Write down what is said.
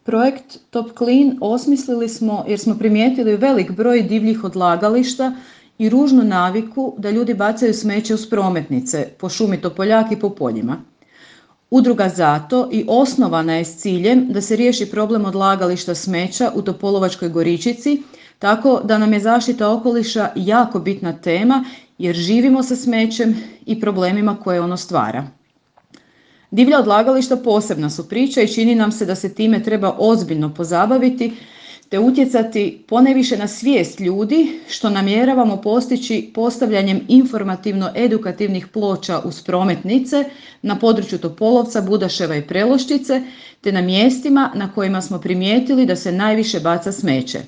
Projekt Top Clean osmislili smo jer smo primijetili velik broj divljih odlagališta i ružnu naviku da ljudi bacaju smeće uz prometnice, po šumi Topoljak i po poljima. Udruga zato i osnovana je s ciljem da se riješi problem odlagališta smeća u Topolovačkoj Goričici, tako da nam je zaštita okoliša jako bitna tema jer živimo sa smećem i problemima koje ono stvara. Divlja odlagališta posebna su priča i čini nam se da se time treba ozbiljno pozabaviti te utjecati ponajviše na svijest ljudi što namjeravamo postići postavljanjem informativno-edukativnih ploča uz prometnice na području Topolovca, Budaševa i Preloščice te na mjestima na kojima smo primijetili da se najviše baca smeće.